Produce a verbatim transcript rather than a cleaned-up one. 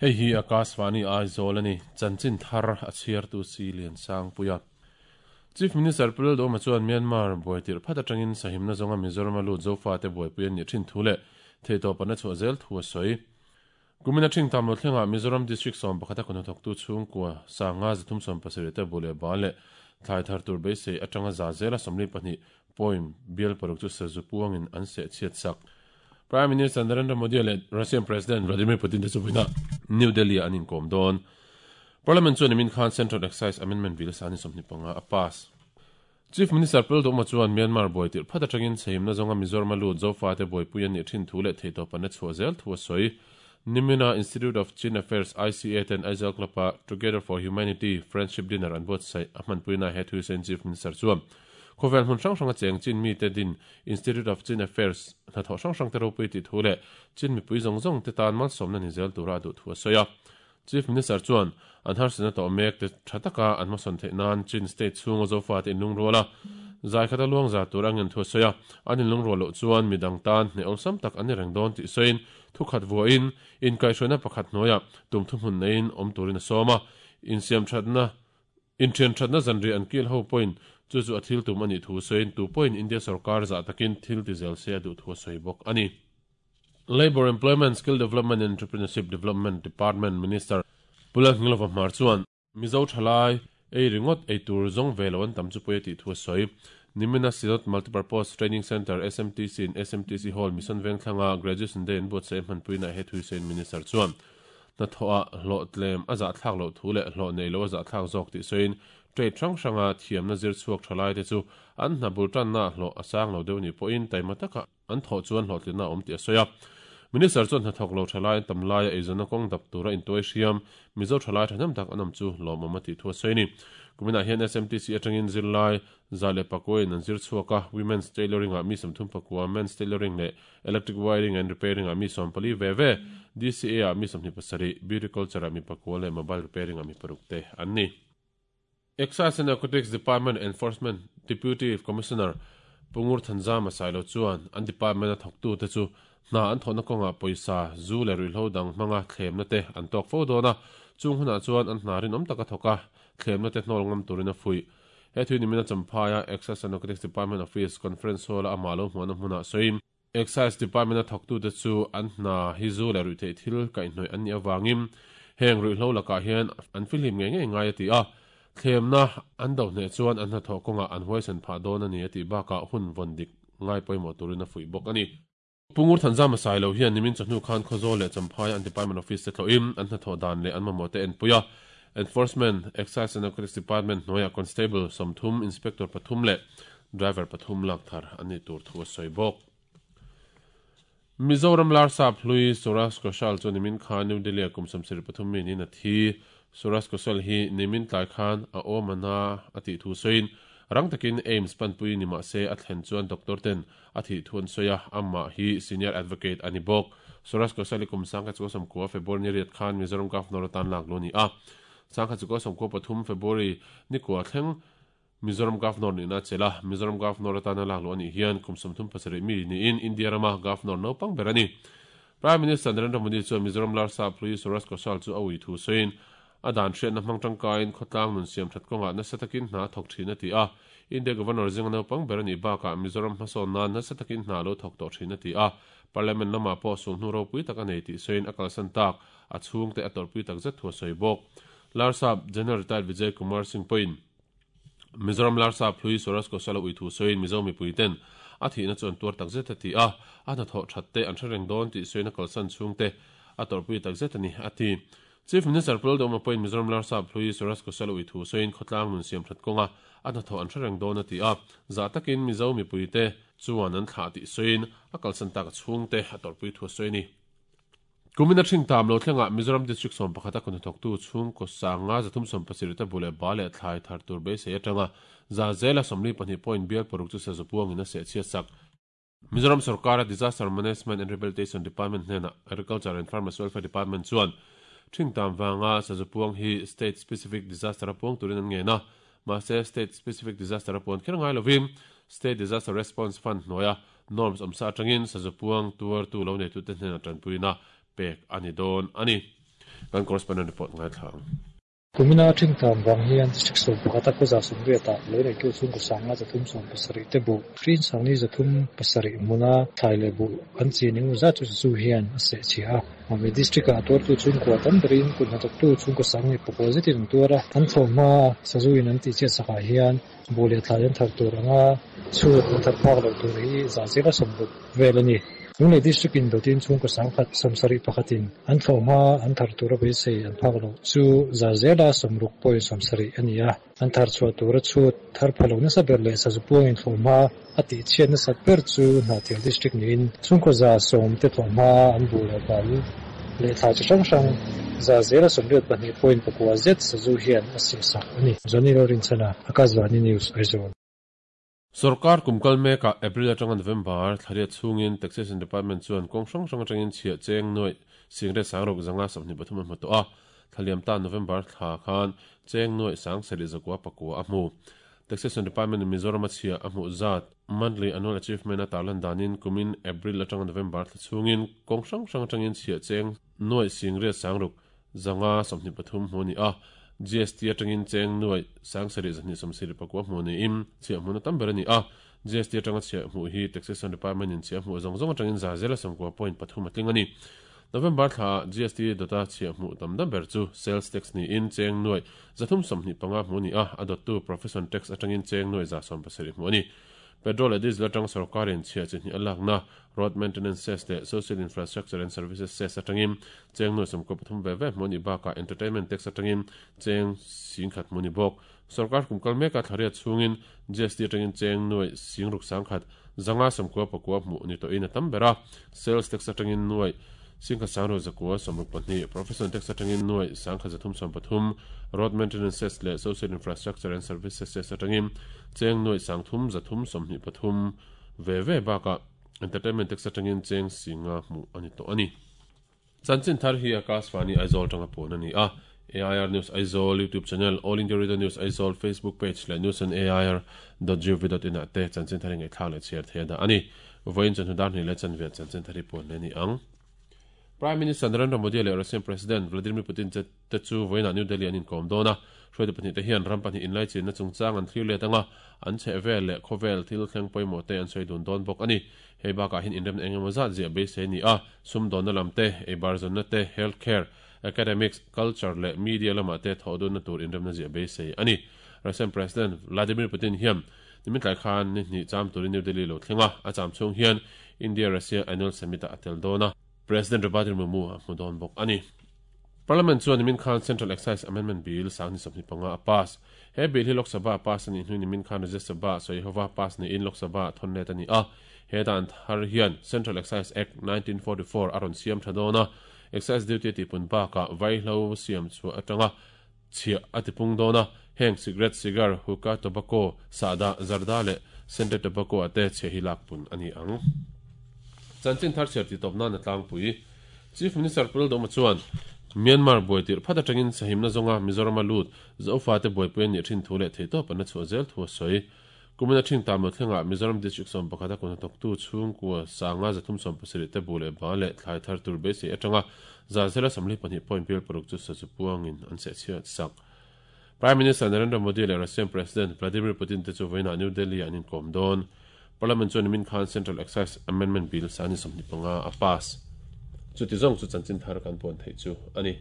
Hei hi Akashvani Aizawl ani chanchin thar a chhiar tu si lian sang puia. Chief Minister Pulal Doma chuan Myanmar buaitir phat atangin sahimna zonga Mizoram a lut zofa te buaipui an ni thin thu leh theitawp an a chhuah zel thu a sawi. Kumina thing tam lo thlenga Mizoram District sawm pakhata kun thawk tu chhungkua sanga zathum sawm pasarih te bule ba leh thlai thar tur beisei atanga za zela sawmli pahnih point bial paruk chu sazu puangin an se chhiat sak. Prime Minister Narendra Modi leh Russian President Vladimir Putin te chu New Delhi an inkom dawn. Parliament chuan min khan Central Excise Amendment Bill sani sawmhnih panga a pass. Chief Minister Pul Doma chuan Myanmar buaitir phat atangin sahimna zonga Mizoram lut zofa te buaipui an ni thin thu leh theitawp an a chhuah zel thu a sawi. Nimina Institute of Chin Affairs I C A ten Aizawl Club-a Together for Humanity Friendship Dinner an buatsaih a hmanpuina he thu sain Chief Minister chuan khawvel hmun hrang hranga cheng Chin mi te din Institute of Chin Affairs hnathawh hrang hrang te ropui ti thu leh Chin mipui zawng zawng te tan malsawmna ni zel tura duh thu a sawi a. Chief Minister chuan an harsana tawh mek te tha taka an hmasawn theih nan Chin state chhunga zofa te inlung ruala zai khata luang za tur angin thu a sawi a. An inlung rual loh chuan midang tan hne awlsam tak an ni reng dawn tih sawiin thu khat vuahin inkaihhruaina pakhat hnuaiah tum thu hmun neiin awm turin a sawm a. Insiam thatna inthian thatna zanri an kil ho pawhin chu chu a thil tum ani thu sawiin tu pawhin India sarkar za takin thil ti zel se a duh thu a sawi bawk ani. Labour Employment Skill Development and Entrepreneurship Development Department Minister Pulal Ngilova Hmar chuan Mizo thalai ei ringot ei tur zawng ve lo an tam chu pui a tih thu a sawi. Nimina Synod Multipurpose Training Center S M T C in S M T C Hall Mission Vengthlanga Graduation Day an buatsaih hmanpuina he thu sawiin Minister chuan na thawh a hlawh tlem a zah thlak loh thu leh hlawh nei lo a zah thlak zawk tih sawiin trade hrang hranga thiamna zir chhuak thalai te chu an hna bul tanna hlawh a sang lo deuh ni pawhin taima taka an thawh chuan hlawh tlinna awm tih a sawi a. Minister chuan hnathawk lo thalai an tam laia eizawnna kawng dap tura intuai hriam Mizo thalai thahnem tak an awm chu lawmawm a tih thu a sawi ni. Kumina hian S M T C atangin zirlai za leh pakuain an zir chhuak a. Women's tailoring ah mi sawmthum pakua, men's tailoring leh electric wiring and repairing ah mi sawm pali ve ve, D C A ah mi sawmhnih pasarih, beauty culture ah mi pakua leh mobile repairing ah mi paruk te an ni. Excise and Narcotics Department Enforcement Deputy Commissioner Pungur Thanzama Sailo chuan an department a thawktu te chu hna an thawhna kawnga pawisa zu leh ruihhlo dang hmanga thlemna te an tawk fo dawn a. Chung hunah chuan an hna rinawm taka thawk a thlemna te hnawl ngam turin a fuih. He thu nimina Champhaia Excise and Narcotics Department Office Conference Hall a ama lo hmuahna hmunah sawiin Excise Department a thawktu te chu an hna hi zu leh ruihtheih thil kaihhnawih an nih awangin heng ruihhlo lakah hian an fihlim ngei ngei ngai a ti a. Thlemna an do hneh chuan an hnathawh kawngah an huaisen phah dawn a ni a tih bakah hun vawn dik ngai pawimawh turin a fuih bawk a ni. Pungur Thanzama Sailo hian nimin chawhnu khan Khawzawl leh Champhaia an Department Office te thlawhin an hnathawh dan leh an mamawh te en pui a. Enforcement, Excise and Narcotics Department hnuaiah Constable sawmthum, Inspector pathum leh Driver pathum lak thar an ni tur thu a sawi bawk. Mizoram Larsap hlui Suraj Koshal chu nimin khan New Delhi a kum sawmsarih pathum mi niin a thi. Suraj Koshal hi nimin tlai khan a awmana a tih thu sawiin rang takin AIIMS panpui ni mah se a thlen chuan doctor ten a thih thu an sawi a. Amma hi senior advocate ani bawk. Suraj Koshal hi kum sangkhat chu sawmkua February ni riat khan Mizoram Governor atan lak lo ni a. Sangkhat chu sawmkua pathum February ni kua thleng Mizoram Governor ni na chela. Mizoram Governor atan lak lo ani hian kum sawmthum pasarih mi niin India rama Governor naupang ber ani. Prime Minister Narendra Modi chuan Mizoram Larsap hlui Suraj Koshal chu a ui thu sawiin a dan hriatna hmang tangkain khawtlang nun siam that kawngah nasa takin hna thawk thin a ti a. India Governor zinga naupang ber ani bakah Mizoram hmasawn nan nasa takin hna lo thawk tawh thin a ti a. Parliament lamah pawh sulhnu ropui tak a nei tih sawiin a kalsan tak a chhung te a tawrhpui tak zet thu a sawi bawk. Larsap General Retired Vijay Kumar Singh pawhin Mizoram Larsap hlui Suraj Koshal a ui thu sawiin Mizo mipui ten a thihna chu an tuar tak zet a ti a. A hnathawh that te an hre reng dawn tih sawiin a kalsan chhung te a tawrhpui tak zet a ni a ti. Chief Minister Pulal Doma pawhin Mizoram Larsap hlui Suraj Koshal a ui thu sawiin khawtlang nun siam that kawnga a hnathawh an hre reng dawn a ti a. Za takin Mizo mipui te chuan an thlah tih sawiin a kalsan tak a chhung te a tawrhpui thu a sawi ni. Kumina thing tam lo thlenga Mizoram District sawm pakhata kun thawktu chhung ko sanga zathum sawm pasarih te bule ba leh thlai thar tur beisei atanga za zela sawmli pahnih point bial paruk chu sazu puangin a seh chhiat sak. Mizoram Sarkara Disaster Management and Rehabilitation Department hnena Agriculture and Farmers Welfare Department chuan thing tam wanga sazu puang hi state specific disaster a puang turin an nge na. Mahse state specific disaster a puan kher ngai lovin State Disaster Response Fund hnuaia norms awmsa atangin sazu puang tuar tu lo nei tu te hnena tanpuina pek ani dawn ani. Kan correspondent report ngaithla ang. Kumina thingtam wang hian district sawm pakhata khaw za sawmriatah lo neitu chhungkaw sanga zathum sawm pasarih te buh hrin sangni zathum pasarih hmuna thlai leh buh an chin engemaw zat chu sazu hian a seh chhia a. Mamit district ah tuartu chhungkua tam berin kut hnathawktu chhungkaw sangni pakua zetin an tuar a. An thlawhhma sazu in an tihchhiat sakah hian buh leh thlai an thar tur anga chhut an thar phak loh tur hi za zela sawmruk vel a ni. Lunglei district in dawtin chhungkaw sangkhat sawmsarih pakhatin an thlawhhma an thar tura beisei an phak loh chu za zela sawmruk point sawmsarih a ni a. An thar chhuah tura chhut thar pha lo nasa ber leh sazu puangin thlawhhma a tihchhiat nasat ber chu Hnahthial district niin chhungkaw za sawm te thlawhhma an buh leh bal leh thlai chi hrang hrang za zela sawmriat pahnih point pakua zet sazu hian a seh sak a ni. Johnny Lalrinchhana, Akashvani News, Aizawl. Sorkar kum kal mekah April atanga November thlariat chhungin Taxation Department chuan kawng hrang hrang atangin chhiah cheng nuaih singret sangruk zanga sawmhnih pathum a hmu tawh a. Thlaliam ta November thla khan cheng nuaih sang sarih zakua pakua a hmu. Taxation Department in Mizoram a chhiah a hmuh zat monthly annual achievement a tarlan danin kumin April atanga November thla chhungin kawng hrang hrang atangin chhiah cheng nuaih singret sangruk zanga sawmhnih pathum hmu a ni a. G S T atangin cheng nuaih sang sarih zahnih sawmsarih pakua hmu niin chhiah hmuna tam ber a ni a. G S T atanga chhiah hmuh hi Taxation Department in chhiah hmuh zawng zawng atangin za zela sawmkua point pathum a tling a ni. November thla G S T dawta chhiah hmuh tam dam ber chu sales tax niin cheng nuaih zathum sawmhnih panga hmu a ni a. A dawttu profession tax atangin cheng nuaih za sawm pasarih hmu a ni. Petrol leh diesel atang sorkarin chhiah chi hnih a lakna road maintenance cess leh social infrastructure and services cess atangin cheng nuaih sawmkua pathum ve ve hmu a ni bakah entertainment tax atangin cheng singkhat hmu a ni bawk. Sorkar kum kal meka thlariat chhungin G S T atangin cheng nuaih singruk sangkhat zanga sawmkua pakua hmu ni tawhin a tam ber a. Sales tax atangin nuaih singkhat sangruk zakua sawmruk pahnih, profession tax atangin nuaih sangkhat zathum sawm pathum, road maintenance cess leh social infrastructure and services cess atangin cheng nuaih sangthum zathum sawmhnih pathum ve ve bakah entertainment tax atangin cheng singa hmu a ni tawh a ni. Chanchin thar hi Akashvani Aizawl tanga pawn a ni a. A I R News Aizawl YouTube channel, All India Radio News Aizawl Facebook page leh news on A I R dot gov dot in ah te chanchin thar hi ngaihthlak leh chhiar thei a dah a ni. Vawiin chawhnu dar hnih leh chanve chanchin thar hi pawn le ni ang. Prime Minister Narendra Modi leh Russian President Vladimir Putin te chu vawiinah New Delhi an inkawm dawn a. Hruaitu pahnih te hian ram pahnih inlai chinna chungchang an thlir let anga an chheh vel leh khawvel thil thleng pawimawh te an sawi dun dawn bawk a ni. Hei bakah hian inremna engemaw zat ziah beisei ni a. Sumdawnna lam te, eibar zawnna te, healthcare, academics, culture leh media lamah te thawh dunna tur inremna ziah beisei a ni. Russian President Vladimir Putin hian nimin tlai khan ni hnih cham turin New Delhi lo thleng a. A cham chhung hian India-Russia Annual Summit ah a tel dawn a. President Draupadi Murmu a hmu dawn bawk a ni. Parliament chuan nimin khan Central Excise Amendment Bill sangni sawmhnih panga a pass. He bill hi Lok Sabha pass a nih hnu nimin khan Rajya Sabha sawi hova pass niin Lok Sabha thawn let a ni a. He dan thar hian Central Excise Act nineteen forty-four a rawn siam tha dawn a. Excise duty tihpun bakah vaihlo siam chhuah atanga chhiah a tipung dawn a. Heng cigarette, cigar, hookah, tobacco, sahdah, zarda leh scented tobacco ate chhiah hi lakpun a ni ang. Chanchin thar chhiar tih tawp nan a tlangpui. Chief Minister Pu Lalduhoma chuan Myanmar buai tirh phat atangin sahimna zawnga Mizoram a lut Zofa te buaipui an nih thin thu leh theihtawp an la chhuah zel thu a sawi. Kumina thing tam lo thlengah Mizoram district sawm pakhat a kut hnathawktu chhungkua sanga zathum sawm pasarih te bu leh ba leh thlai thar tur beisei atanga za zela sawmli pahnih point bial paruk chu sazu puangin an seh chhiat sak. Prime Minister Narendra Modi leh Russian President Vladimir Putin te chu vawiinah New Delhi an inkawm dawn. Parliament chuan nimin khan Central Excise Amendment Bill sangni sawmhnih panga a pass. Chuti zawng chu chanchin thar kan puan theih chu a ni.